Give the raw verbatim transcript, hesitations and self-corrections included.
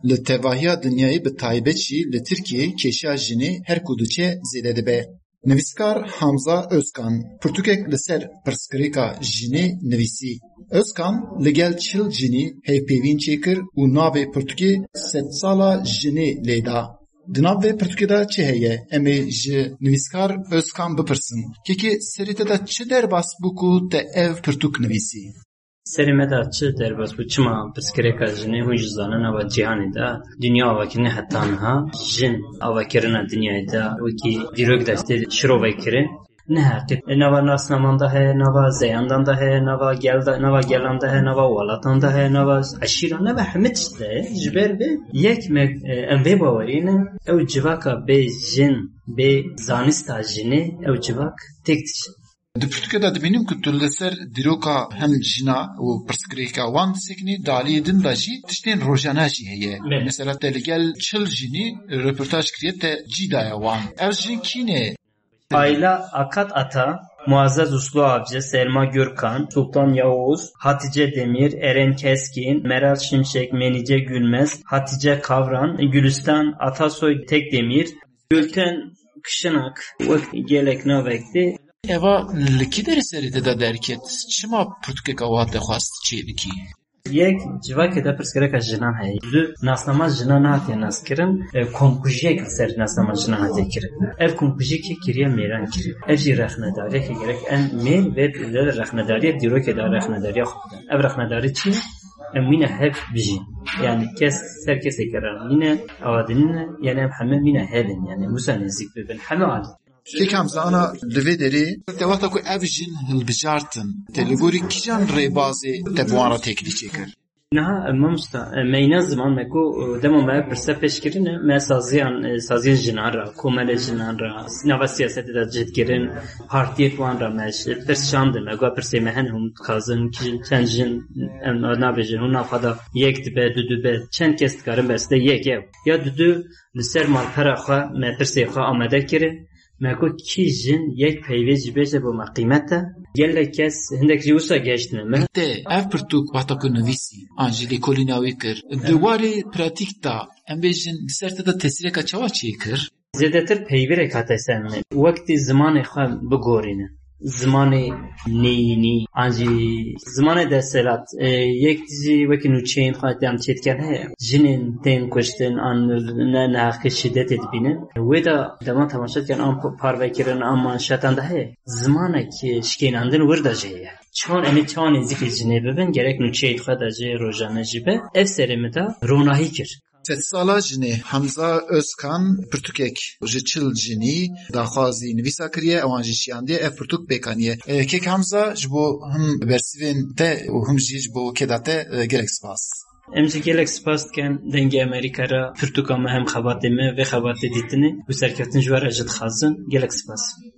Li tevahiya dinyayê, bi taybet jî li Tirkiyeyê, kêşa jinê her ku diçe zêde dibe. Nivîskar Hamza Özkan pirtûkek li ser pirsgirêka jinê nivîsî. Özkan li gel çil jinî hevpeyvîn çêkir û navê pirtûkê Sedsala Jinê lê da. Di nav vê pirtûkê de çi heye? Em ê ji nivîskar Özkan bipirsin. Kekê, serê te de çi derbas bû ku te ev pirtûk nivîsî? Serê me de çi derbas bû? Çima pirsgirêka jinê, hûn jî zanin, nava cîhanê de, dinya avakirine heta niha, jin avakirina dinyayê de wekî dîrok de tê şirovekirin. Ne heqî. Nava nasnaman de heye, nava zeyandan de heye, nava gel de, nava gelan de heye, nava welatan de heye, nava eşîran, nava hemî tişt de heye. Ji ber vê yek me, e, em vê bawerî ne, ew civaka bê jin, bê zanista jinê, ew civak têk diçe. Di pirtûkê de dibînim ku tu li ser dîroka hem jina û pirsgirêka wan disekinî, di aliyê din de jî tiştên rojane jî heye. Belê. Mesela te li gel çil jinî reportaj kiriye, te cî daye wan. Ev jin kî ne? Ayla Akat Ata, Muazzez Uslu Avcı, Selma Gürkan, Sultan Yavuz, Hatice Demir, Eren Keskin, Meral Şimşek, Menice Gülmez, Hatice Kavran, Gülistan Atasoy Tekdemir, Gülten Kışınak, wek gelek navek tê. Eva li kî derê serê te de derket? Çima pirtûkeka wa te xwest çêbikî? Yek, civakê de pirsgirêka jinan heye. Du, nasnama jinan nehatiye naskirin, e, komkujiyek li ser nasnama jinan hatiye kirin. Ev komkujî kê kiriye? Mêran kiriye. Ev jî rexnedariyeke gerek em mêr vê rexnedariye, dîrokê de rexnedariya xwe bidin. Ev rexnedarî çi ye? Em wîne hev bijîn. Yani kes, ser kesê kere wîne, awa dinîne, yani em heme wîne hev in. Yani wisa nêzîk bibin. Heme alî. Kek Hamza, ana li vê derê te wexta ku ev jin hilbijartin, te li gorî kîjan rêbazê te bi wan re têkilî çêkir? Niha, e, mamosta, e, meyna ziman me ku, e, dema me pirse pêş kirine, me saziyan, e, saziyên jinan re, komelê jinan re, nava siyasetê de cih dikirin, partiyê wan re me ji pirs şandin, me got pirsê me hene hûn dixwazin, kî-, çend jin, em nabêjin, hûn nav xwe de yek dibe, du dibe, çend kes dikarin bes de yek ew. Ya dudu li ser malpera xwe me pirsê xwe amade kirin. Me got, kî jin yek peyvê jî bêje bo me qîmet e. Gelek kes, hindek jî wisa gehiştine me. Te ev pirtûk wexta ku nivîsî, an jî lêkolîna wî kir, di warê pratîk de, em bêjin, li ser te de tesîreka çawa çêkir? Zêdetir peyvêrek hate ser min. Wektî zimanê xwe bigorîne. Zimanê neyînî, an jî zimanê desthilat, e, yek jî wekî nûçeyên xwe em çêdikin heye. Jinên tên kuştin, an ne neheqî şîdetê dibînin. Wê de dema temaşe dikin, an p-, parvekirin, an manşetan de heye. Zimanek şikênandin wir de jî heye. Çawan em ê çawa nêzîkî jinê bibin, gerek nûçeyê xwe de jî rojane jî be. Ev serê min de ronahî kir. Sedsala jinê Hamza Özkan pirtûkek ji çil jinî daxwazî nivîsa kiriye, ewan jî şiyandiye, ev pirtûk pêk aniye. E, kek Hamza, ji bo him bersivên te û him jî ji bo keda te, e, gelek spas. Em jî gelek spas dikin Dengê Amerîka re, pirtûka me hem xebatê me, vê xebatê dîtine û serkeftin ji we re jî dixwazin. Gelek spas.